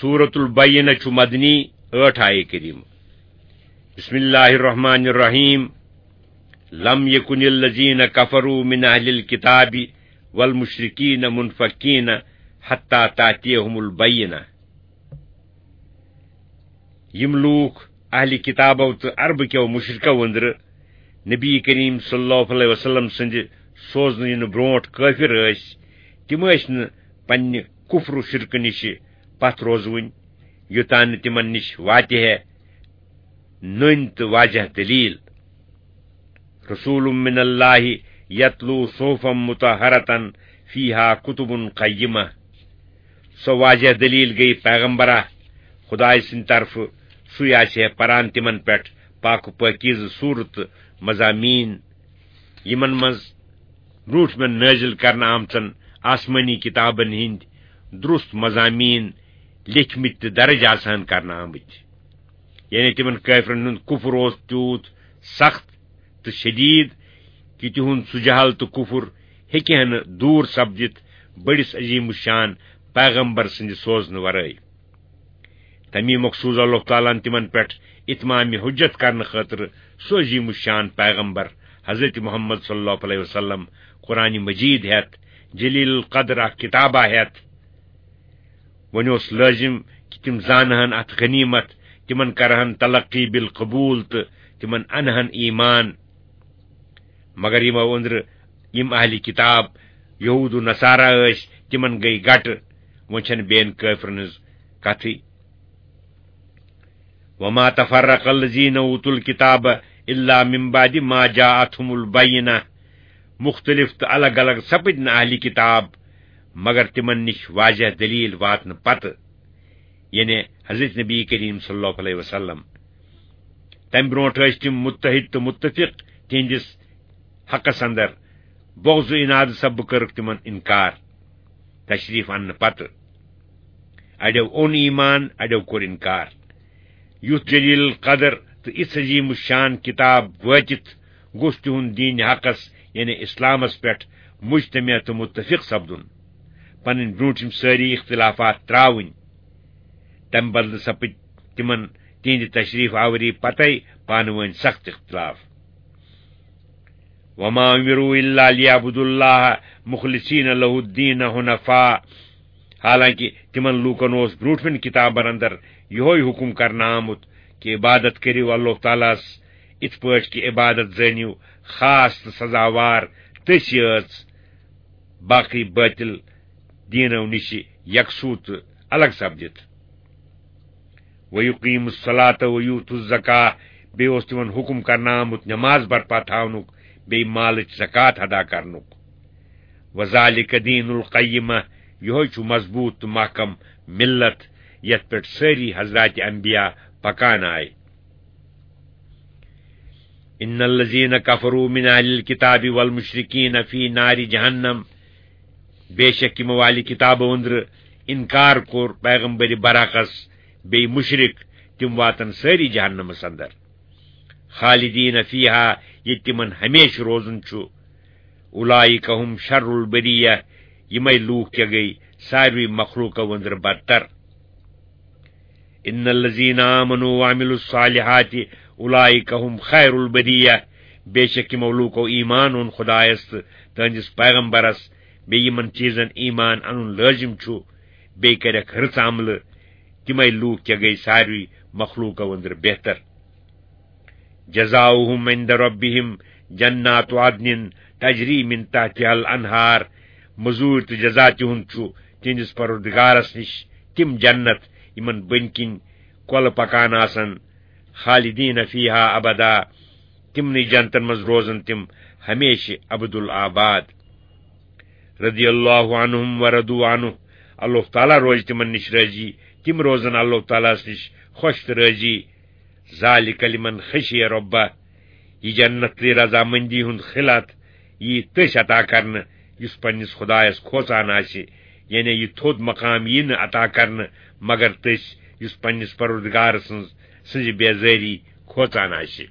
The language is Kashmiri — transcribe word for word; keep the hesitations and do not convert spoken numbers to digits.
سورة البینہ چھُ مدنی، ٲٹھ آیہِ کریمہ۔ بسم اللہ الرحمن الرحیم۔ لم یکن الذین کفروا من اہل الکتاب والمشرکین منفکین حتی تاتیہم البینہ۔ یِم لوٗکھ اہلِ کِتابو تہٕ عربہٕ کیو مُشرِکو أنٛدرٕ نبی کریم صلی اللہ علیہ وسلم سٕنٛدِ سوزنہٕ یِنہٕ برونٛٹھ کٲفِر ٲسۍ، تِم ٲسۍ نہٕ پننہِ کُفر و شرکہٕ نِشہِ پتھ روزوٕنۍ، یوٚتام نہٕ تِمن نِش واتہِ ہے نٔنۍ تہٕ واضح دٔلیٖل۔ رسول من اللہ یتلو صحفا مطہرة فیہا کتب قیمہ۔ سۄ واضح دلیل گٔیہِ پیغمبرا خدایہِ سٕنٛدِ طرفہٕ، سُے آسہِ ہے پران تِمن پٮ۪ٹھ پاک و پٲکیٖزٕ سورتہٕ مضامین، یِمن منٛز برونٛٹھ مےٚ نٲزِل کرنہٕ آمژن آسمٲنی کِتابن ہٕنٛدۍ درست مضامین لیکھمٕتۍ تہٕ درج آسہٕ ہن کرنہٕ آمٕتۍ۔ یعنی تِمن کٲفرن ہُنٛد کُفر اوس تیوٗت سخت تہٕ شدید کہِ تِہُنٛد سُہ جہل تہٕ کُفر ہیٚکہِ ہا نہٕ دوٗر سپدِتھ بٔڑِس عظیم الشان پیغمبر سٕنٛدِ سوزنہٕ ورٲے۔ تمی مۄکھ سوٗز اللہ تعالیٰ ہن تِمن پٮ۪ٹھ اتمام حجت کرنہٕ خٲطرٕ سُہ عظیم الشان پیغمبر حضرت محمد صلی اللہ علیہ وسلم، قرآن مجید ہٮ۪تھ، جلیل القدر اکھ کتابہ ہٮ۪تھ۔ وۄنۍ اوس لٲزِم کہِ تِم زانہٕ ہن اتھ غنیمت، تِمن کرہن تلقی بالقبول تہٕ تِمن انہن ایمان۔ مگر یِمو أنٛدرٕ یِم اہلِ کتاب یہود و نصارہ ٲسۍ، تِمن گٔیہِ گٹہٕ۔ وۄنۍ چھنہٕ بیٚین کٲفرن ہٕنٛز کتھٕے۔ وما تفرق الذین اوتوا الکتاب الا من بعد ما جاءتهم البینہ۔ مختلف تہٕ الگ الگ سپٕدۍ نہٕ اہلِ کتاب مگر تِمن نِش واضح دلیل واتنہٕ پتہٕ، یعنی حضرت نبی کریم صلی اللہ علیہ وسلم۔ تمہِ برونٛٹھ ٲسۍ تِم متحد تہٕ متفق تِہنٛدِس حقس اندر، بغض و عناد سببہٕ کٔرٕکھ تِمن انکار تشریف اننہٕ پتہٕ۔ اڑیو اوٚن ایمان، اڑیو کوٚر انکار۔ یُتھ جلیل القدر تہٕ یِژھ عظیم الشان کتاب وٲتِتھ گوٚژھ تِہُنٛد دین حقس، یعنی اسلامس پٮ۪ٹھ مجتمع تہٕ متفق سپدُن، پنٕنۍ برونٛٹھِم سٲری اختلافات تراوٕنۍ۔ تمہِ بدلہٕ سپٕدۍ تِمن تِہنٛدِ تشریف آوری پتے پانہٕ وٲنۍ سخت اختلاف۔ وما امروا الا لیعبدوا اللہ مخلصین لہ الدین حنفاء۔ حالانکہ تِمن لوٗکن اوس برونٛٹھمٮ۪ن کتابن اندر یِہوے حکم کرنہٕ آمُت کہِ عبادت کٔرِو اللہ تعالیٰ ہس اِتھ پٲٹھۍ کہِ عبادت زٲنِو خاص تہٕ سزاوار تٔسۍ یٲژ، باقٕے باطل دیٖنو نِشہِ یکسوٗ تہٕ الگ سپدِتھ۔ وَيُقِيمُوا الصَّلَاةَ وَيُؤْتُوا الزَّكَاةَ، بیٚیہِ اوس تِمن حُکُم کرنہٕ آمُت نماز برپا تھاونُک، بیٚیہِ مالٕچ زکوٰۃ ادا کرنُک۔ وَذَٰلِكَ دِينُ الْقَيِّمَةِ، یِہوٚے چھُ مضبوٗط تہٕ محکم مِلت، یَتھ پٮ۪ٹھ سٲری حضرات انبیاء پکان آے۔ إِنَّ الَّذِينَ كَفَرُوا مِنْ أَهْلِ الْكِتَابِ وَالْمُشْرِكِينَ فِي نَارِ جَهَنَّمَ، بے شک یِمو اہلِ کتابو أنٛدرٕ انکار کوٚر پیغمبر برحقس، بیٚیہِ مُشرِک، تِم واتن سٲری جہنمس اندر۔ خالدین فیہا، ییٚتہِ تِمن ہمیشہٕ روزُن چھُ۔ اولئک هم شر البریہ، یِمے لوٗکھ کیٛاہ گٔے ساروٕے مخلوٗقو أنٛدرٕ بدتر۔ ان الذین آمنوا وعملوا الصالحات اولئک هم خیر البریہ، بے شک یِمو لوٗکو ایمان اوٚن خدایس تہٕ تہنٛدِس پیغمبرس، بیٚیہِ یِمن چیٖزن ایمان انُن لٲزم چھُ، بیٚیہِ کَرٮ۪کھ رٕژ عملہٕ، تِمے لوٗکھ کیٛاہ گٔے ساروٕے مخلوٗقو أنٛدرٕ بہتر۔ جزاؤہم عند ربہم جنات عدن تجری من تحتہا الانہار، مٔزوٗرۍ تہٕ جزا تِہُنٛد چھُ تِہنٛدِس پروردگارس نِش تِم جنت یِمن بٔنۍ کِنۍ کۄلہٕ پکان آسن، خالدین فیہا ابدا، تِمنٕے جنتن منٛز روزن تِم ہمیشہٕ ابد الآباد۔ رضی اللہ عنہم ورضوا عنہ، اللہ تعالیٰ روزِ تِمن نِش رٲضی، تِم روزن اللہ تعالیٰ ہس نِش خۄش تہٕ رٲضی۔ ذالک لمن خشی ربہ، یہِ جنت تہٕ رضامندی ہُنٛد خلعت یی تٔسۍ عطا کرنہٕ یُس پننِس خدایس کھوژان آسہِ، یعنی یہِ تھوٚد مقام یی نہٕ عطا کرنہٕ مگر تٔسۍ یُس پننِس پروردگار سٕنٛز، سٕنٛزِ بیزٲری کھوژان آسہِ۔